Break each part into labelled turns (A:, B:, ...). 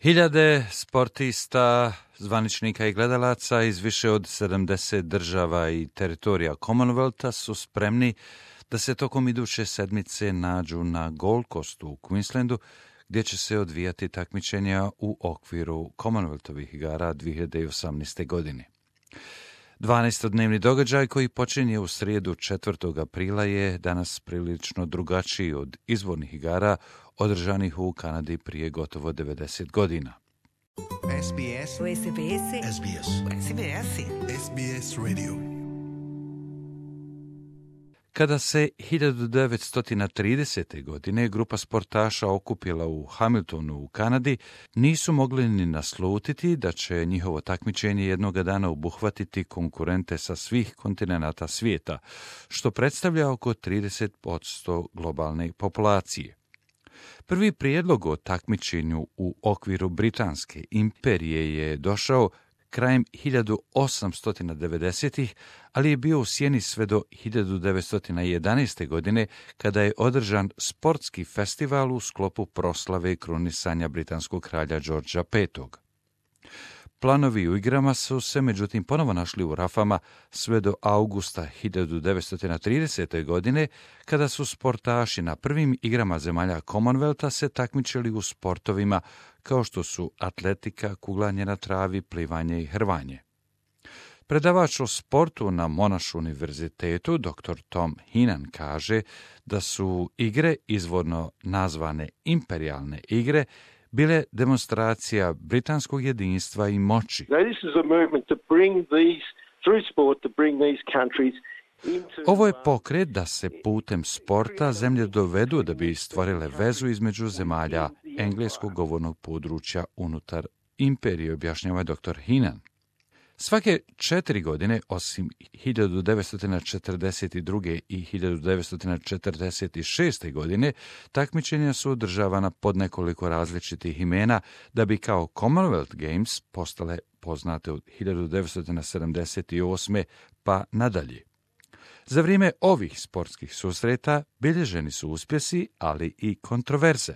A: Hiljade sportista, zvaničnika i gledalaca iz više od 70 država i teritorija Commonwealtha su spremni da se tokom iduće sedmice nađu na Gold Coastu u Queenslandu, gdje će se odvijati takmičenja u okviru Commonwealthovih igara 2018. godine. 12-dnevni događaj koji počinje u srijedu 4. aprila je danas prilično drugačiji od izvornih igara održanih u Kanadi prije gotovo 90 godina.
B: SBS Radio.
A: Kada se 1930. godine grupa sportaša okupila u Hamiltonu u Kanadi, nisu mogli ni naslutiti da će njihovo takmičenje jednoga dana obuhvatiti konkurente sa svih kontinenata svijeta, što predstavlja oko 30% globalne populacije. Prvi prijedlog o takmičenju u okviru Britanske imperije je došao krajem 1890-ih, ali je bio u sjeni sve do 1911. godine, kada je održan sportski festival u sklopu proslave krunisanja britanskog kralja Georgea V. Planovi u igrama su se međutim ponovo našli u rafama sve do augusta 1930. godine, kada su sportaši na prvim igrama zemalja Commonwealtha se takmičili u sportovima kao što su atletika, kuglanje na travi, plivanje i hrvanje. Predavač o sportu na Monash univerzitetu, dr. Tom Heenan, kaže da su igre, izvorno nazvane imperijalne igre, bile demonstracija britanskog jedinstva i moći. Ovo je pokret da se putem sporta zemlje dovedu da bi stvorile vezu između zemalja engleskog govornog područja unutar imperije, objašnjava dr. Heenan. Svake 4 godine, osim 1942. i 1946. godine, takmičenja su održavana pod nekoliko različitih imena, da bi kao Commonwealth Games postale poznate od 1978. pa nadalje. Za vrijeme ovih sportskih susreta bilježeni su uspjesi, ali i kontroverze.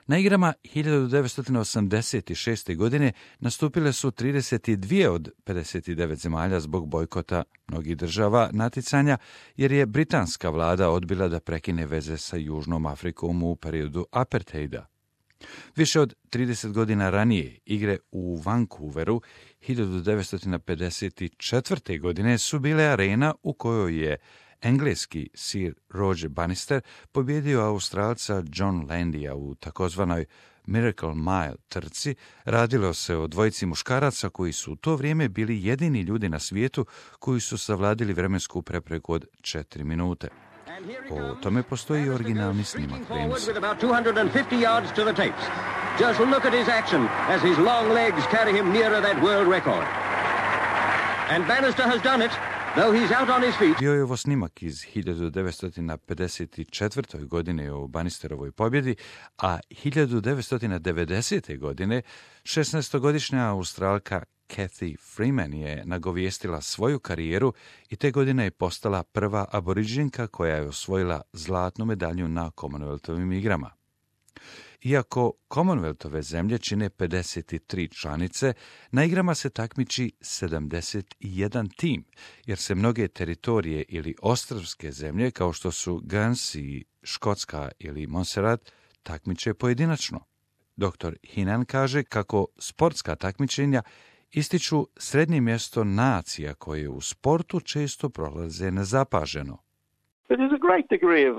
A: Na igrama 1986. godine nastupile su 32 od 59 zemalja zbog bojkota mnogih država natjecanja, jer je britanska vlada odbila da prekine veze sa Južnom Afrikom u periodu apartheida. Više od 30 godina ranije igre u Vancouveru 1954. godine su bile arena u kojoj je engleski Sir Roger Bannister pobjedio Australca John Landya u takozvanoj Miracle Mile trci. Radilo se o dvojici muškaraca koji su u to vrijeme bili jedini ljudi na svijetu koji su savladili vremensku prepreku od 4 minute. O tome postoji i originalni snimak prijenosa.
C: Just look at his action as his long legs carry him nearer that world record. And Bannister has done it.
A: Bio je ovo snimak iz 1954. godine o Bannisterovoj pobjedi, a 1990. godine 16-godišnja Australka Cathy Freeman je nagovijestila svoju karijeru i te godine je postala prva aboriđinka koja je osvojila zlatnu medalju na Commonwealthovim igrama. Iako Commonwealthove zemlje čine 53 članice, na igrama se takmiči 71 tim, jer se mnoge teritorije ili ostrvske zemlje, kao što su Guernsey, Škotska ili Montserrat, takmiče pojedinačno. Dr. Heenan kaže kako sportska takmičenja ističu srednje mjesto nacija koje u sportu često prolaze nezapaženo.
D: But there's a great degree of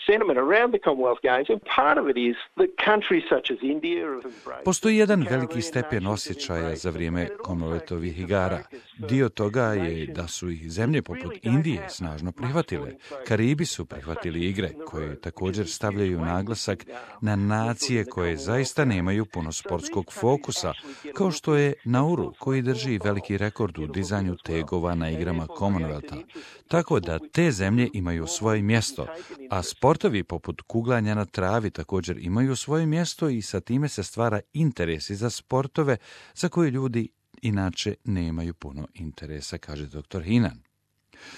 D: sentiment around the Commonwealth Games, and part of it is that countries such as India have embraced.
A: Postoji jedan veliki stepen osjećaja za vrijeme Commonwealthovih igara. Dio toga je da su ih zemlje poput Indije snažno prihvatile. Karibi su prihvatili igre, koje također stavljaju naglasak na nacije koje zaista nemaju puno sportskog fokusa, kao što je Nauru, koji drži veliki rekord u dizanju tegova na igrama Commonwealtha. Tako da te zemlje imaju svoje mjesto, a sportovi poput kuglanja na travi također imaju svoje mjesto i sa time se stvara interes za sportove za koje ljudi inače nemaju puno interesa, kaže dr. Heenan.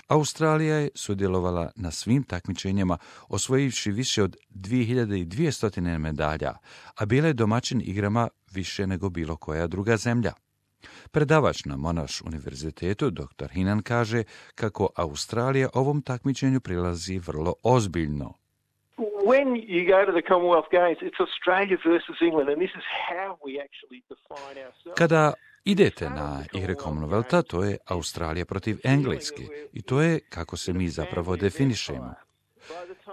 A: Australija je sudjelovala na svim takmičenjima, osvojivši više od 2200 medalja, a bila je domaćin igrama više nego bilo koja druga zemlja. Predavač na Monash univerzitetu, dr. Hinan, kaže kako Australija ovom takmičenju prilazi vrlo ozbiljno.
D: When you go to the Commonwealth Games, it's Australia versus England, and this is how we actually define ourselves.
A: Kada idete na igre Commonwealtha, to je Australija protiv Engleske i to je kako se mi zapravo definišemo.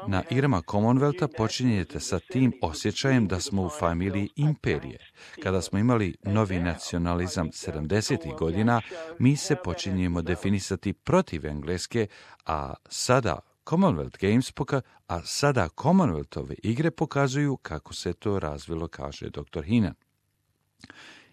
A: Na igrama Commonwealtha počinjete sa tim osjećajem da smo u familiji imperije. Kada smo imali novi nacionalizam 70. godina, mi se počinjemo definisati protiv Engleske, a sada Commonwealthove igre pokazuju kako se to razvilo, kaže dr. Hinan.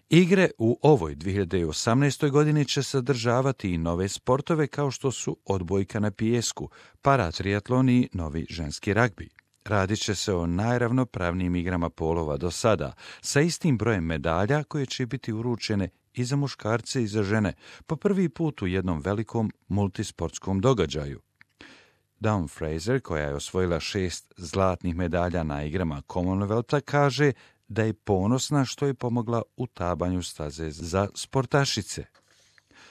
A: Igre u ovoj 2018. godini će sadržavati i nove sportove kao što su odbojka na pijesku, paratriatlon i novi ženski ragbi. Radit će se o najravnopravnijim igrama polova do sada, sa istim brojem medalja koje će biti uručene i za muškarce i za žene, po prvi put u jednom velikom multisportskom događaju. Dawn Fraser, koja je osvojila 6 zlatnih medalja na igrama Commonwealtha, kaže da je ponosna što je pomogla u tabanju staze za sportašice.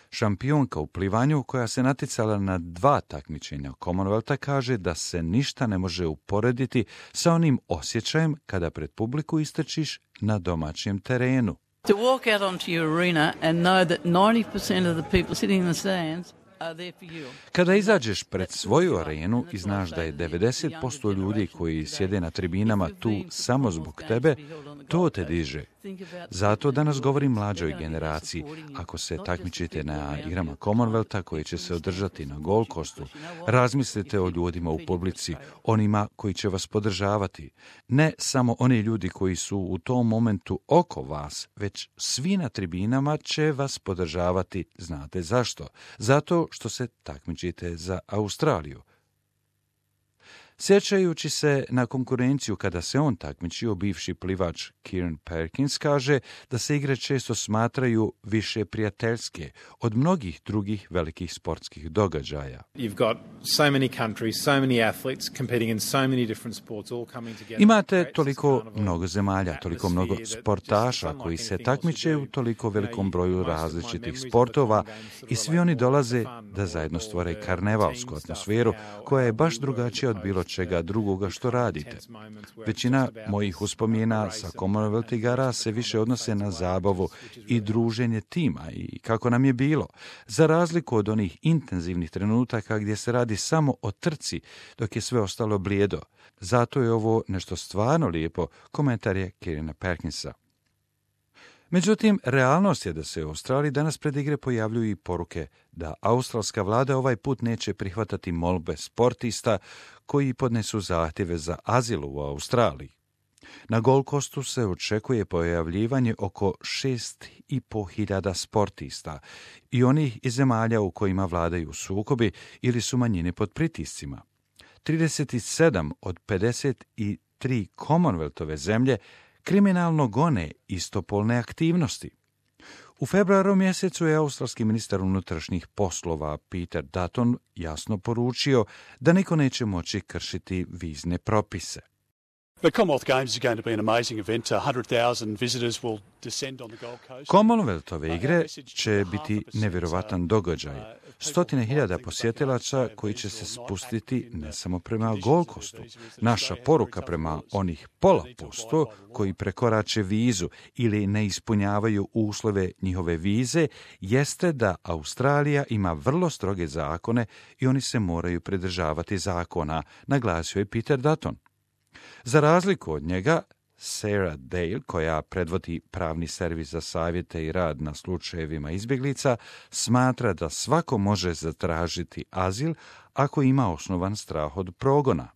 A: Šampionka u plivanju, koja se natjecala na 2 takmičenja Commonwealtha, kaže da se ništa ne može uporediti sa onim osjećajem kada pred publiku istrčiš na domaćem terenu.
E: To walk out onto your arena and know that 90% of the people sitting in the stands are there for you.
A: Kada izađeš pred svoju arenu i znaš da je 90% ljudi koji sjede na tribinama tu samo zbog tebe, to te diže. Zato danas govorim mlađoj generaciji, ako se takmičite na igrama Commonwealtha koji će se održati na Gold Coastu, razmislite o ljudima u publici, onima koji će vas podržavati. Ne samo oni ljudi koji su u tom momentu oko vas, već svi na tribinama će vas podržavati. Znate zašto? Zato što se takmičite za Australiju. Sjećajući se na konkurenciju kada se on takmičio, bivši plivač Kieran Perkins kaže da se igre često smatraju više prijateljske od mnogih drugih velikih sportskih događaja. Imate toliko mnogo zemalja, toliko mnogo sportaša koji se takmiče u toliko velikom broju različitih sportova i svi oni dolaze da zajedno stvore karnevalsku atmosferu koja je baš drugačija od bilo čega drugoga što radite. Većina mojih uspomena sa Commonwealth igara se više odnose na zabavu i druženje tima i kako nam je bilo, za razliku od onih intenzivnih trenutaka gdje se radi samo o trci dok je sve ostalo blijedo. Zato je ovo nešto stvarno lijepo, komentar je Kierana Perkinsa. Međutim, realnost je da se u Australiji danas pred igre pojavljuju i poruke da australska vlada ovaj put neće prihvatati molbe sportista koji podnesu zahtjeve za azil u Australiji. Na Gold Coastu se očekuje pojavljivanje oko 6.500 sportista i onih iz zemalja u kojima vladaju sukobi ili su manjine pod pritiscima. 37 od 53 Commonwealthove zemlje kriminalno gone istopolne aktivnosti. U februaru mjesecu je australski ministar unutrašnjih poslova Peter Dutton jasno poručio da niko neće moći kršiti vizne propise.
F: The Commonwealth Games is going to be an amazing event. 100,000 visitors will descend on the Gold Coast.
A: Commonwealthove igre će biti nevjerovatan događaj. 100.000 posjetilaca koji će se spustiti ne samo prema Gold Coastu. Naša poruka prema onih 0,5% koji prekorače vizu ili ne ispunjavaju uslove njihove vize jeste da Australija ima vrlo stroge zakone i oni se moraju pridržavati zakona, naglasio je Peter Dutton. Za razliku od njega, Sarah Dale, koja predvodi pravni servis za savjete i rad na slučajevima izbjeglica, smatra da svako može zatražiti azil ako ima osnovan strah od progona.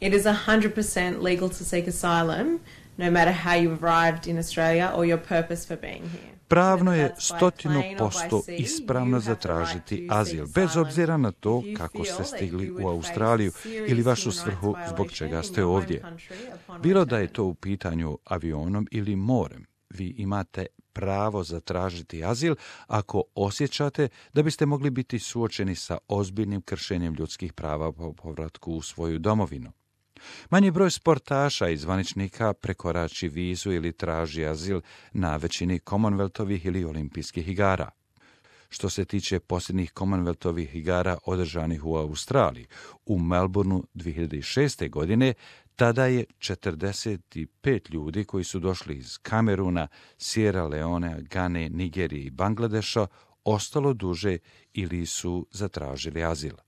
G: It is 100% legal to seek asylum, no matter how you've arrived in Australia or your purpose for being here.
A: Pravno je 100% ispravno zatražiti azil, bez obzira na to kako ste stigli u Australiju ili vašu svrhu zbog čega ste ovdje. Bilo da je to u pitanju avionom ili morem. vi imate pravo zatražiti azil ako osjećate da biste mogli biti suočeni sa ozbiljnim kršenjem ljudskih prava po povratku u svoju domovinu. Manji broj sportaša i zvaničnika prekorači vizu ili traži azil na većini Commonwealthovih ili olimpijskih igara. Što se tiče posljednjih Commonwealthovih igara održanih u Australiji, u Melbourneu 2006. godine, tada je 45 ljudi koji su došli iz Kameruna, Sierra Leone, Gane, Nigerije i Bangladeša ostalo duže ili su zatražili azil.